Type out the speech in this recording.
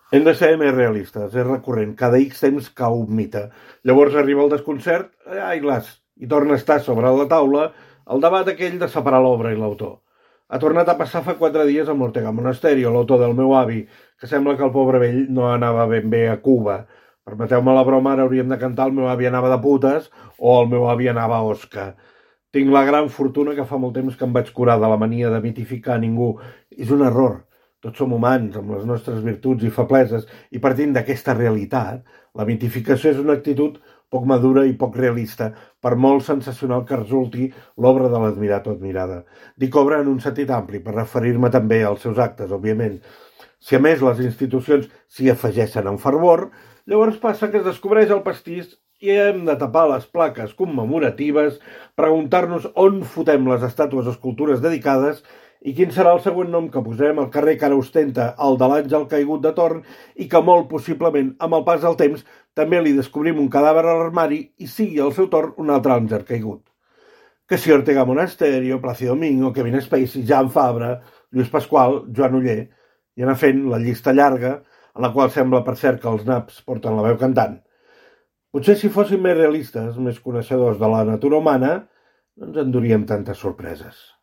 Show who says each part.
Speaker 1: Hem de ser més realistes, és recurrent, cada X temps cau un mite. Llavors arriba el desconcert, ai las, i torna a estar sobre la taula el debat aquell de separar l'obra i l'autor. Ha tornat a passar fa 4 dies amb l'Ortega Monasterio, l'autor del meu avi, que sembla que el pobre vell no anava ben bé a Cuba. Permeteu-me la broma, ara hauríem de cantar el meu avi anava de putes o el meu avi anava a Osca. Tinc la gran fortuna que fa molt temps que em vaig curar de la mania de mitificar ningú. És un error. Tots som humans, amb les nostres virtuts i febleses, i partint d'aquesta realitat, la mitificació és una actitud poc madura i poc realista, per molt sensacional que resulti l'obra de l'admirat o admirada. Dic obra en un sentit ampli, per referir-me també als seus actes, òbviament. Si a més les institucions s'hi afegeixen amb fervor, llavors passa que es descobreix el pastís i hem de tapar les plaques commemoratives, preguntar-nos on fotem les estàtues o escultures dedicades i quin serà el següent nom que posem al carrer que ara ostenta el de l'àngel caigut de Torn i que molt possiblement, amb el pas del temps, també li descobrim un cadàver a l'armari i sigui al seu torn un altre àngel caigut. Que si Ortega Monasterio, Plácido Domingo, Kevin Spacey, Jan Fabra, Lluís Pasqual, Joan Oller, i anar fent la llista llarga, en la qual sembla per cert que els naps porten la veu cantant. Potser si fóssim més realistes, més coneixedors de la natura humana, no ens enduríem tantes sorpreses.